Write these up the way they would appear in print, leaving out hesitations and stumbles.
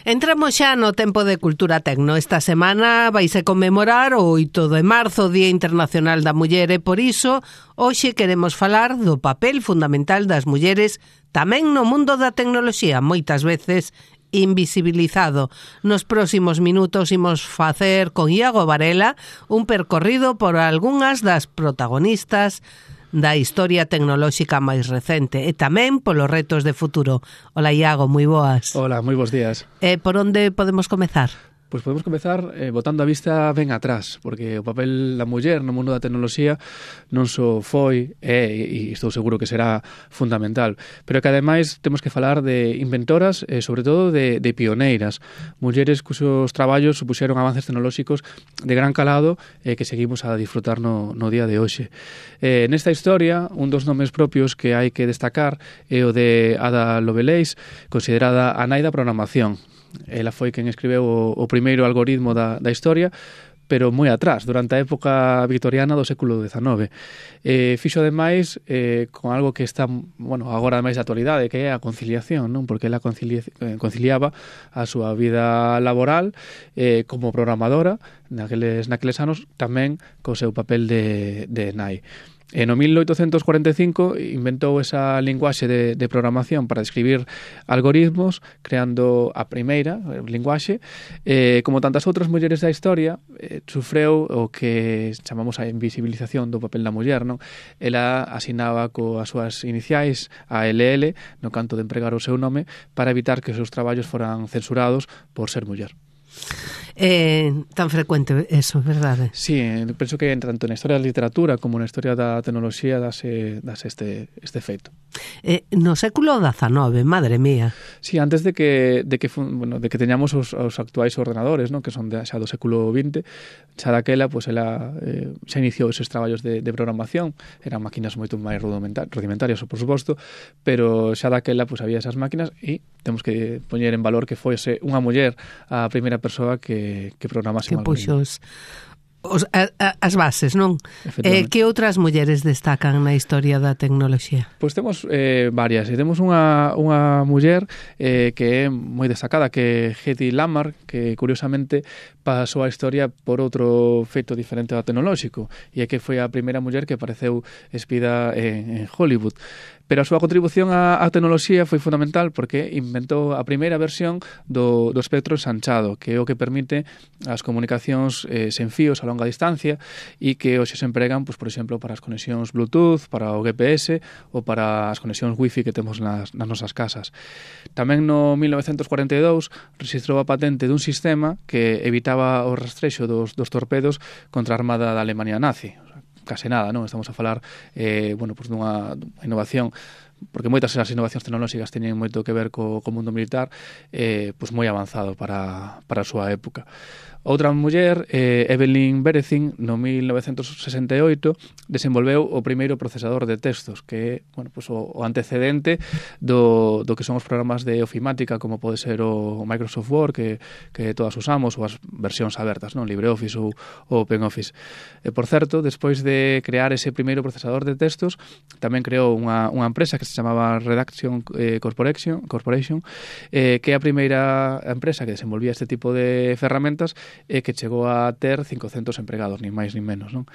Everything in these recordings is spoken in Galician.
Entramos xa no tempo de Cultura Tecno. Esta semana vaise conmemorar o 8 de marzo, Día Internacional da Muller, e por iso hoxe queremos falar do papel fundamental das mulleres tamén no mundo da tecnoloxía, moitas veces invisibilizado. Nos próximos minutos imos facer con Iago Varela un percorrido por algunhas das protagonistas da historia tecnolóxica máis recente e tamén polos retos de futuro. Ola, Iago, moi boas. Hola, moi bons días. Por onde podemos comezar? Pois podemos comezar botando a vista ben atrás, porque o papel da muller no mundo da tecnoloxía non só foi, e estou seguro que será fundamental, pero que ademais temos que falar de inventoras e sobre todo de pioneiras, mulleres cuxos traballos supuxeron avances tecnolóxicos de gran calado que seguimos a disfrutar no día de hoxe. Nesta historia, un dos nomes propios que hai que destacar é o de Ada Lovelace, considerada a nai da programación. Ela foi quen escribeu o primeiro algoritmo da historia, pero moi atrás, durante a época victoriana do século XIX. Fixo ademais con algo que está, agora máis de actualidade, que é a conciliación, non? Porque ela conciliaba a súa vida laboral como programadora naqueles anos, tamén co seu papel de nai. No 1845 inventou esa linguaxe de programación para describir algoritmos, creando a primeira linguaxe. Como tantas outras mulleres da historia, sufreu o que chamamos a invisibilización do papel da muller, non? Ela asinaba coas súas iniciais a LL no canto de empregar o seu nome para evitar que os seus traballos foran censurados por ser muller. Tan frecuente eso, verdade? Sí, penso que tanto na historia da literatura como na historia da tecnoloxía dase este feito. No século XIX, madre mía. Sí, antes de que teñamos os actuais ordenadores, non? Que son xa do século XX, xa daquela, ela xa iniciou esos traballos de programación. Eran máquinas moito máis rudimentarias, por suposto, pero xa daquela había esas máquinas e temos que poñer en valor que foise unha muller a primeira persoa que programase un algoritmo. As bases, non? Que outras mulleres destacan na historia da tecnoloxía? Pois temos varias. Temos unha muller que é moi destacada, que é Hedy Lamarr, que curiosamente pasou a historia por outro feito diferente ao tecnolóxico, e é que foi a primeira muller que apareceu espida en Hollywood. Pero a súa contribución á tecnoloxía foi fundamental porque inventou a primeira versión do espectro ensanchado, que é o que permite as comunicacións sen fíos a longa distancia e que hoxe se empregan, por exemplo, para as conexións Bluetooth, para o GPS ou para as conexións Wi-Fi que temos nas nosas casas. Tamén no 1942 registrou a patente dun sistema que evitaba o rastrexo dos torpedos contra a armada da Alemania nazi. Case nada, non? Estamos a falar dunha innovación, porque moitas das innovacións tecnolóxicas teñen moito que ver co mundo militar, moi avanzado para a súa época. Outra muller, Evelyn Berezin, no 1968, desenvolveu o primeiro procesador de textos, que é o antecedente do que son os programas de ofimática, como pode ser o Microsoft Word, que todas usamos, ou as versións abertas, non? LibreOffice ou OpenOffice. Por certo, despois de crear ese primeiro procesador de textos, tamén creou unha empresa que se chamaba Redaction Corporation, que é a primeira empresa que desenvolvía este tipo de ferramentas e que chegou a ter 500 empregados, nin máis nin menos, non?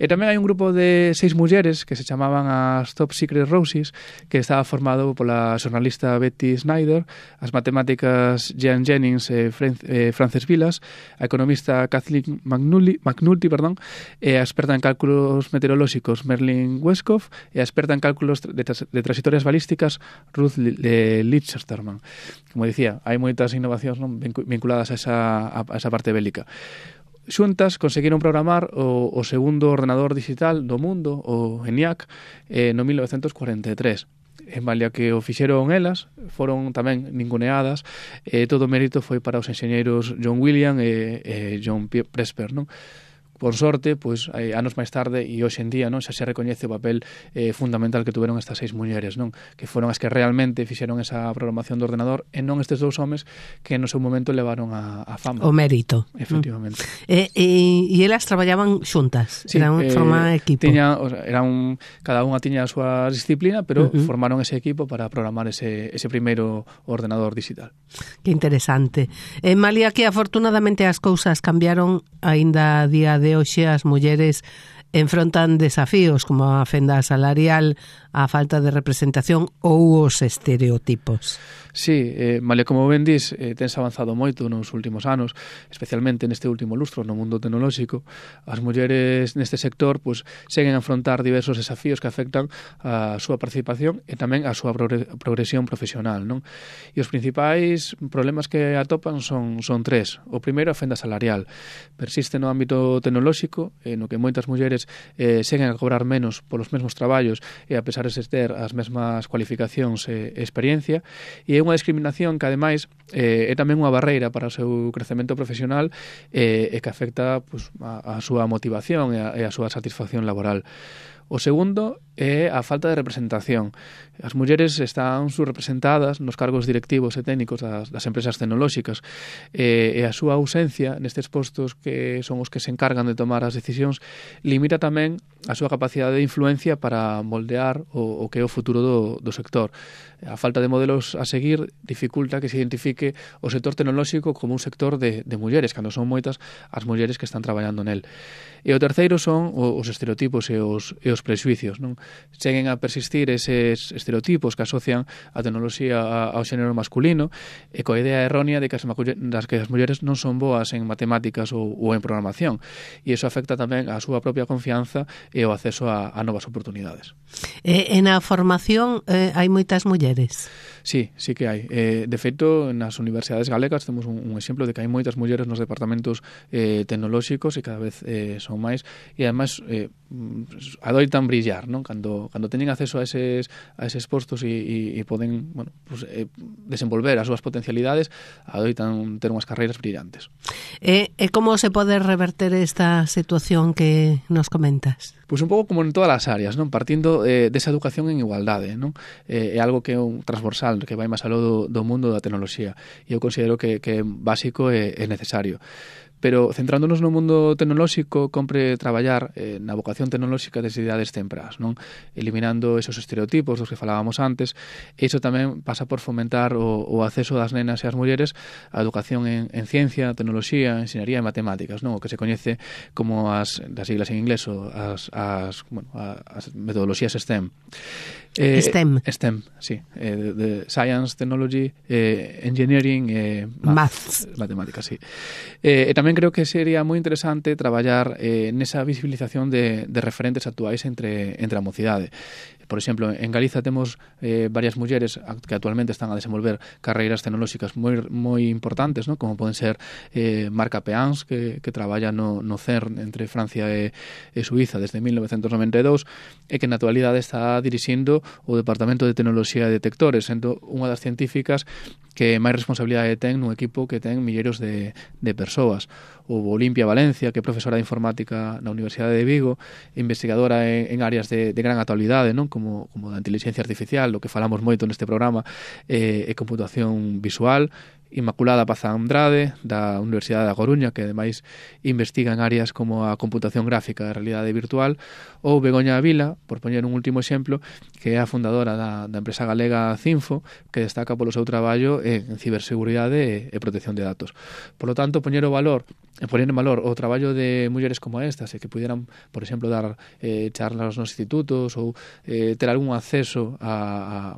E tamén hai un grupo de 6 mulleres que se chamaban as Top Secret Roses, que estaba formado pola xornalista Betty Snyder, as matemáticas Jean Jennings e Frances Vilas, a economista Kathleen McNulty, e a experta en cálculos meteorolóxicos Merlin Westcott, e a experta en cálculos de trayectorias balísticas Ruth Lichterman. Como dicía, hai moitas innovacións, non, vinculadas a esa parte bélica. Xuntas conseguiron programar o segundo ordenador digital do mundo, o ENIAC, no 1943. En malia que o fixeron elas, foron tamén ninguneadas, todo o mérito foi para os enxeñeiros John William e John Presper, non? por sorte, pois anos máis tarde e hoxe en día, non, xa se recoñece o papel fundamental que tuveron estas 6 mulleres, non, que foron as que realmente fixeron esa programación do ordenador e non estes 2 homes que no seu momento levaron a fama. O mérito. Efectivamente. E elas traballaban xuntas, sí, eran forma equipo. Cada unha tiña a súa disciplina, pero formaron ese equipo para programar ese primeiro ordenador digital. Que interesante. Malia, que afortunadamente as cousas cambiaron, aínda a día de hoxe as mulleres enfrontan desafíos como a fenda salarial, a falta de representación ou os estereotipos. Sí, malia como ben dis, tense avanzado moito nos últimos anos, especialmente neste último lustro no mundo tecnolóxico. As mulleres neste sector pois, seguen a afrontar diversos desafíos que afectan a súa participación e tamén a súa progresión profesional, non? E os principais problemas que atopan son 3. O primeiro, a fenda salarial. Persiste no ámbito tecnolóxico, no que moitas mulleres seguen a cobrar menos polos mesmos traballos e a pesar de ter as mesmas cualificacións e experiencia, e é unha discriminación que, ademais, é tamén unha barreira para o seu crecemento profesional e que afecta pues, a súa motivación e a súa satisfacción laboral. O segundo é a falta de representación. As mulleres están subrepresentadas nos cargos directivos e técnicos das empresas tecnolóxicas e a súa ausencia nestes postos que son os que se encargan de tomar as decisións limita tamén a súa capacidade de influencia para moldear o que é o futuro do sector. A falta de modelos a seguir dificulta que se identifique o sector tecnolóxico como un sector de mulleres, cando son moitas as mulleres que están traballando nel. E o terceiro son os estereotipos e os prexuicios, non? Seguen a persistir eses estereotipos que asocian a tecnoloxía ao xénero masculino e coa idea errónea de que as mulleres non son boas en matemáticas ou en programación, e iso afecta tamén a súa propia confianza e o acceso a novas oportunidades. E na formación hai moitas mulleres? Sí que hai. De feito, nas universidades galegas temos un exemplo de que hai moitas mulleres nos departamentos tecnolóxicos e cada vez son máis, e ademais adoitan brillar, non? Cando teñen acceso a eses postos e poden, bueno, pues, desenvolver as súas potencialidades, adoitan ter unhas carreiras brillantes. E como se pode reverter esta situación que nos comentas? Pois un pouco como en todas as áreas, non? Partindo desa educación en igualdade, non? É algo que é un transversal, que vai máis aló do mundo da tecnoloxía, e eu considero que é básico e necesario. Pero centrándonos no mundo tecnolóxico, compre traballar na vocación tecnolóxica desde idades temprás, non? Eliminando esos estereotipos dos que falábamos antes. E iso tamén pasa por fomentar o acceso das nenas e as mulleres á educación en ciencia, tecnoloxía, enxeñaría e matemáticas, non? O que se coñece como das siglas en inglés, as metodoloxías STEM. STEM, sí. De Science, Technology, Engineering e Maths. Matemáticas, sí. E tamén creo que sería moi interesante traballar nesa visibilización de referentes actuais entre a mocidade. Por exemplo, en Galiza temos varias mulleres que actualmente están a desenvolver carreiras tecnolóxicas moi importantes, ¿no? Como poden ser Marca Peans, que traballa no CERN entre Francia e Suiza desde 1992 e que na actualidade está dirixindo o Departamento de Tecnoloxía e Detectores, sendo unha das científicas que máis responsabilidade ten nun equipo que ten milleiros de persoas. Ou Olimpia Valencia, que é profesora de informática na Universidade de Vigo, investigadora en áreas de gran actualidade, non? Como da inteligencia artificial, do que falamos moito neste programa, e computación visual. Inmaculada Paz Andrade, da Universidade da Coruña, que ademais investiga en áreas como a computación gráfica e a realidade virtual, ou Begoña Vila, por poñer un último exemplo, que é a fundadora da empresa galega Cinfo, que destaca polo seu traballo en ciberseguridade e protección de datos. Por lo tanto, poñer en valor o traballo de mulleres como estas, e que pudieran, por exemplo, dar charlas nos institutos ou ter algún acceso a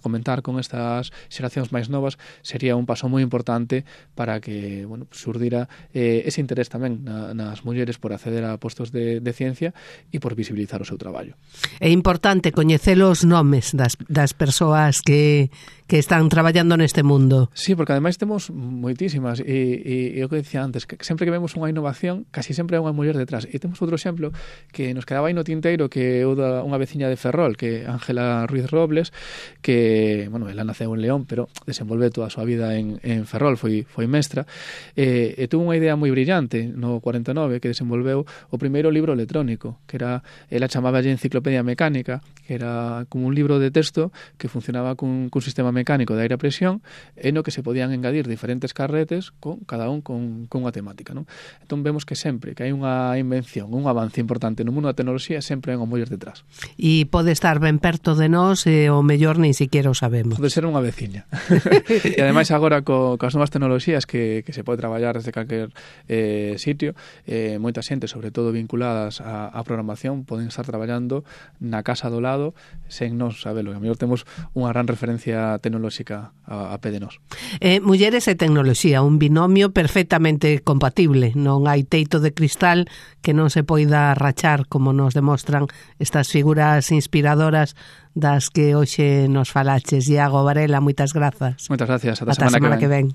comentar con estas xeracións máis novas, sería un paso moi importante para que xurdira ese interés tamén nas mulleres por acceder a postos de ciencia e por visibilizar o seu traballo. É importante coñecer os nomes das persoas que están traballando neste mundo. Sí, porque ademais temos moitísimas e o que decía antes, que sempre que vemos unha innovación casi sempre hai unha muller detrás. E temos outro exemplo que nos quedaba aí no tinteiro, que é o da unha veciña de Ferrol, que é Ángela Ruiz Robles, que, ela naceu en León, pero desenvolve toda a súa vida en en Ferrol, foi mestra, e tuvo unha idea moi brillante no 49 que desenvolveu o primeiro libro electrónico, que era, ela chamaba enciclopedia mecánica, que era como un libro de texto que funcionaba cun sistema mecánico de aire a presión, e no que se podían engadir diferentes carretes, cada un con unha temática, non? Entón vemos que sempre que hai unha invención, un avance importante no mundo da tecnoloxía, sempre hai unha muller detrás. E pode estar ben perto de nós e o mellor nin siquiera o sabemos. Pode ser unha veciña. E ademais agora coas novas tecnoloxías que se pode traballar desde calquer sitio, moita xente, sobre todo vinculadas á programación, poden estar traballando na casa do lado sen nos sabelo. A mellor temos unha gran referencia tecnolóxica a pé de nós. Mulleres e tecnoloxía, un binomio perfectamente compatible. Non hai teito de cristal que non se poida rachar, como nos demostran estas figuras inspiradoras das que hoxe nos falaches. Iago Varela, moitas grazas. Moitas gracias. Ata a semana que ven.